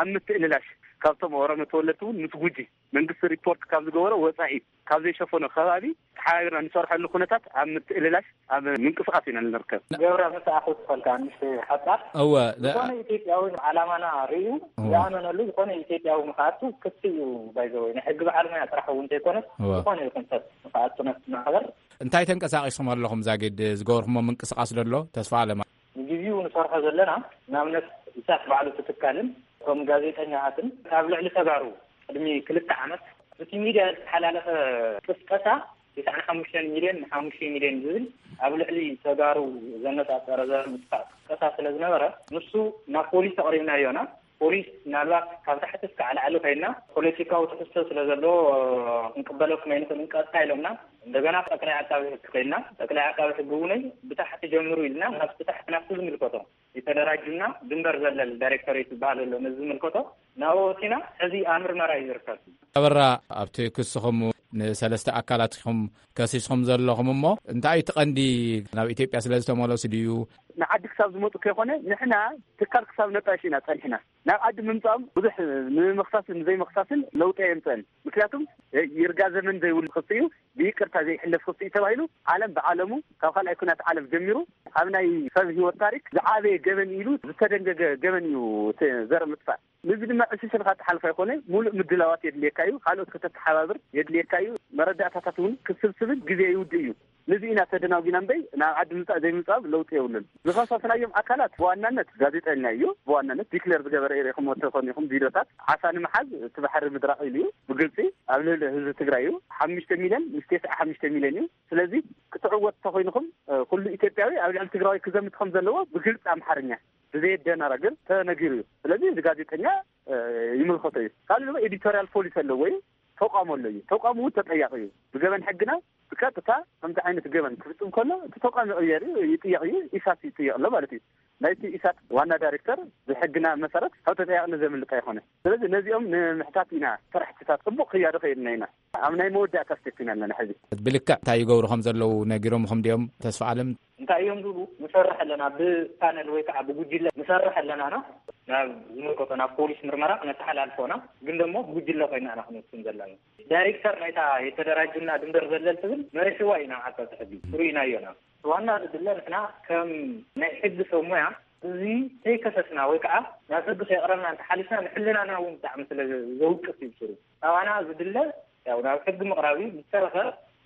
ኣብ ምትእልላሽ ካብቶም ኦሮሞ ተወለድቲ እውን ምስ ጉጂ መንግስቲ ሪፖርት ካብ ዝገበሮ ወፃኢ ካብ ዘይሸፈኖ ከባቢ ተሓባቢርና ንሰርሐሉ ኩነታት ኣብ ምትእልላሽ ኣብ ምንቅስቃስ ኢና ንርከብ። ገብረ መሳእኹ ትፈልካ ንሽ ሓጻር እወ ለ- ዝኾነ ኢትዮጵያዊ ዓላማና ርእዩ እወ። ዝኣመነሉ ዝኾነ ኢትዮጵያዊ ንክኣቱ ክፍቲ እዩ። ባይዘወይ ናይ ሕጊ በዓል ሙያ ጥራሕ እውን ዘይኮነስ እወ። ዝኾነ ይኹን ሰብ ንክኣቱ ነቲ ማሕበር እንታይ ተንቀሳቂስኩም ኣለኹም? ዛጊድ ዝገበርኩሞ ምንቅስቃስ ደሎ ተስፋ ኣለማ ንግዜኡ ንሰርሖ ዘለና ንኣብነት ኢሳት ባዕሉ ትትካልን እቶም ጋዜጠኛታትን ካብ ልዕሊ ተጋሩ ቅድሚ ክልተ ዓመት እቲ ሚድያ ዝተሓላለፈ ቅስቀሳ ትስዓን ሓሙሽተን ሚልዮን ንሓሙሽተ ሚልዮን ዝብል ኣብ ልዕሊ ተጋሩ ዘነጻጸረ ዘር ምጥፋእ ቅስቀሳ ስለ ዝነበረ ንሱ ናብ ፖሊስ ኣቕሪብናዮና። ፖሊስ ምናልባት ካብ ታሕቲ እስካዕ ላዕሊ ኮይና ፖለቲካዊ ትሕዝቶ ስለ ዘለዎ ክንቅበለኩም ኣይንኽእልን ቀጥታ ኢሎምና። እንደገና ጠቅላይ ዓቃቢ ሕጊ ኮይና ጠቅላይ ዓቃቢ ሕጊ እውን ብታሕቲ ጀምሩ ኢልና ናብቲ ታሕቲ ናብቲ ዝምልከቶ የተደራጁና ድንበር ዘለል ዳይሬክቶሬት ዝበሃል ኣሎ ነዚ ዝምልከቶ ናብኡ ወሲና ሕዚ ኣብ ምርመራ እዩ ዝርከብ። ኣበራ ኣብቲ ክስኹም ንሰለስተ ኣካላት ኢኹም ከሲስኹም ዘለኹም እሞ እንታይ እቲ ቀንዲ ናብ ኢትዮጵያ ስለ ዝተመለሱ ድዩ? ንዓዲ ክሳብ ዝመፁ ከይኮነ ንሕና ትካል ክሳብ ነጣይሽ ኢና ፀኒሕና። ናብ ዓዲ ምምፃኦም ብዙሕ ንምኽሳስን ዘይምኽሳስን ለውጢ ኣየምፀን። ምክንያቱም ይርጋ ዘመን ዘይብሉ ክሲ እዩ። ብይቅርታ ዘይሕለፍ ክሲ እዩ ተባሂሉ ዓለም ብዓለሙ ካብ ካልኣይ ኩናት ዓለም ጀሚሩ ኣብ ናይ ሰብ ህይወት ታሪክ ዝዓበየ ገበን ኢሉ ዝተደንገገ ገበን እዩ። እቲ ዘር ምጥፋእ ንዚ ድማ ዕሽሽልካ ትሓልፎ ኣይኮነ። ሙሉእ ምድላዋት የድልየካ እዩ። ካልኦት ከተተሓባብር የድልየካ እዩ። መረዳእታታት እውን ክስብስብን ግዜ ይውድእ እዩ። ንዚ ኢና ተደናጒና እምበይ ናብ ዓዲ ምምፃእ ዘይምምፃእ ለውጢ የብሉን። ዝኸሰስናዮም ኣካላት ብዋናነት ጋዜጠኛ እዩ። ብዋናነት ዲክለር ዝገበረ ኢኹም ወተኾን ኢኹም ቪድዮታት ዓሳ ንምሓዝ እቲ ባሕሪ ምድራቕ ኢሉ እዩ። ብግልፂ ኣብ ልዕሊ ህዝቢ ትግራይ እዩ። ሓሙሽተ ሚልዮን ምስ ተስዓ ሓሙሽተ ሚልዮን እዩ። ስለዚ ክትዕወት ተኮይንኹም ኩሉ ኢትዮጵያዊ ኣብ ልዕሊ ትግራዋይ ክዘምት ከም ዘለዎ ብግልፂ ኣምሓርኛ ብዘየደናረግር ተነጊሩ እዩ። ስለዚ እዚ ጋዜጠኛ ይምልከቶ እዩ። ካልእ ድማ ኤዲቶሪያል ፖሊሲ ኣለዎ እዩ። ተቋም ኣሎ እዩ። ተቋም እውን ተጠያቂ እዩ። ብገበን ሕግና ብቀጥታ ከምዚ ዓይነት ገበን ክፍፅም ከሎ እቲ ተቋም ይቕየር እዩ፣ ይጥየቕ እዩ። ኢሳት ይጥየቕ ኣሎ ማለት እዩ። ናይቲ ኢሳት ዋና ዳይሬክተር ብሕግና መሰረት ካብ ተጠያቅነት ዘምልጥ ኣይኮነ። ስለዚ ነዚኦም ንምሕታት ኢና ስራሕትታት ፅቡቅ ክያዶ ከይድና ኢና። ኣብ ናይ መወዳእታ ስቴፕ ኢና ኣለና ሕዚ። ብልክዕ እንታይ ይገብሩ ከም ዘለዉ ነጊሮምኹም ድዮም ተስፋ ኣለም? እንታይ እዮም ዝብሉ? ንሰርሕ ኣለና ብፓነል ወይ ከዓ ብጉጅለ ንሰርሕ ኣለና ና ናብ ዝምልከቶ ናብ ፖሊስ ምርመራ ክነተሓላልፎና ግን ደሞ ብጉጅለ ኮይና ኢና ክንውስን ዘለና። ዳይሬክተር ናይታ የተደራጁና ድንበር ዘለል ትብል መሪሕዋ ኢና ዓቃቢ ሕጊ ርኢናዮና። ዋና ዝድለ ንሕና ከም ናይ ሕጊ ሰብ ሞያ እዚ ከይከሰስና ወይ ከዓ ናብ ሕጊ ከይቕረብና እንተሓሊፍና ንሕልናና እውን ብጣዕሚ ስለ ዘውቅስ እዩ ስሩ። ኣባና ዝድለ ያው ናብ ሕጊ ምቕራብ እዩ። ዝተረፈ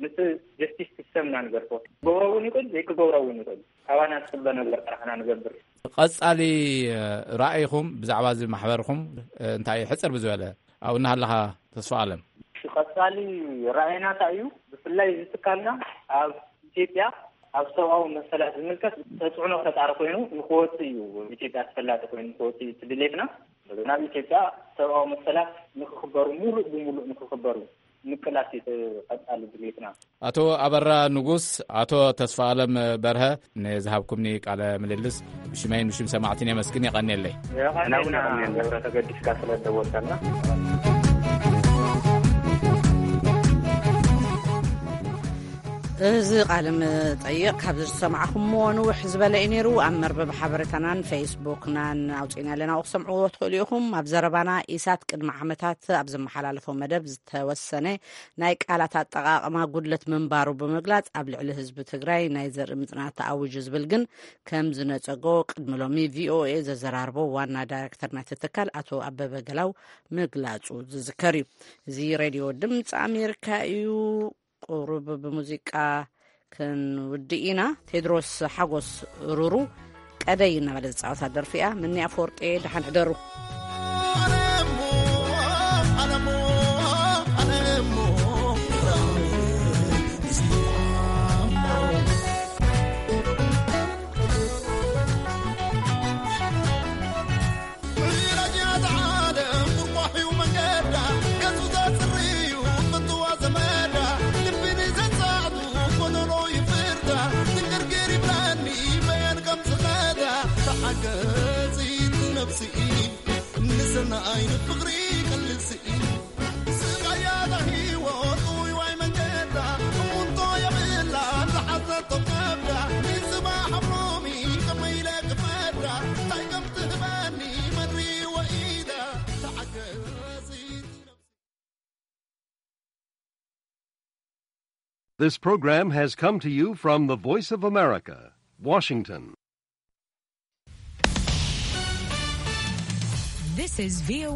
ምስ ጀስቲስ ሲስተምና ንገርፎ ክገብሮ እውን ይኽእል ዘይክገብሮ እውን ይኽእል። ኣባና ዝፅበ ነገር ጥራሕና ንገብር። ቀጻሊ ራእይኹም ብዛዕባ እዚ ማሕበርኩም እንታይ እዩ? ሕፅር ብዝበለ ኣብኡ እናሃለኻ ተስፋ ኣለም። ቀጻሊ ራእይና እንታይ እዩ? ብፍላይ እዚ ትካልና ኣብ ኢትዮጵያ ኣብ ሰብኣዊ መሰላት ዝምልከት ተፅዕኖ ፈጣሪ ኮይኑ ንክወፅእ እዩ። ኢትዮጵያ ተፈላጢ ኮይኑ ንክወፅእ እዩ እቲ ድሌትና። ናብ ኢትዮጵያ ሰብኣዊ መሰላት ንክኽበሩ ሙሉእ ብሙሉእ ንክኽበሩ ምቅላስ እዩ እቲ ቀጻሊ ድሌትና። ኣቶ ኣበራ ንጉስ፣ ኣቶ ተስፋ ኣለም በርሀ ንዝሃብኩምኒ ቃለ ምልልስ ብሽመይን ብሽም ሰማዕትን የመስግን። የቐንየለይ። የቐንየልና ገብረ ተገዲስካ ስለ ደወልካልና። እዚ ቃለ መጠይቕ ካብ ዝሰማዕኹምዎ ንውሕ ዝበለ እዩ ነይሩ። ኣብ መርበብ ሓበሬታናን ፌስቡክናን ኣውፂእና ኣለና፣ ክሰምዕዎ ትኽእሉ ኢኹም። ኣብ ዘረባና ኢሳት ቅድሚ ዓመታት ኣብ ዘመሓላለፎ መደብ ዝተወሰነ ናይ ቃላት ኣጠቓቕማ ጉድለት ምንባሩ ብምግላጽ ኣብ ልዕሊ ህዝቢ ትግራይ ናይ ዘርኢ ምጽናት ተኣዊጁ ዝብል ግን ከም ዝነጸጎ ቅድሚ ሎሚ ቪኦኤ ዘዘራርቦ ዋና ዳይሬክተር ናይቲ ትካል ኣቶ ኣበበ ገላው ምግላጹ ዝዝከር እዩ። እዚ ሬድዮ ድምፂ ኣሜሪካ እዩ። ቁሩብ ብሙዚቃ ክንውድእ ኢና። ቴድሮስ ሓጎስ ሩሩ ቀደይ እናበለ ዝፃወታ ደርፊ እያ። ምኒ ኣፈወርቂ ደሓን ሕደሩ። This program has come to you from the Voice of America, Washington. This is V O A.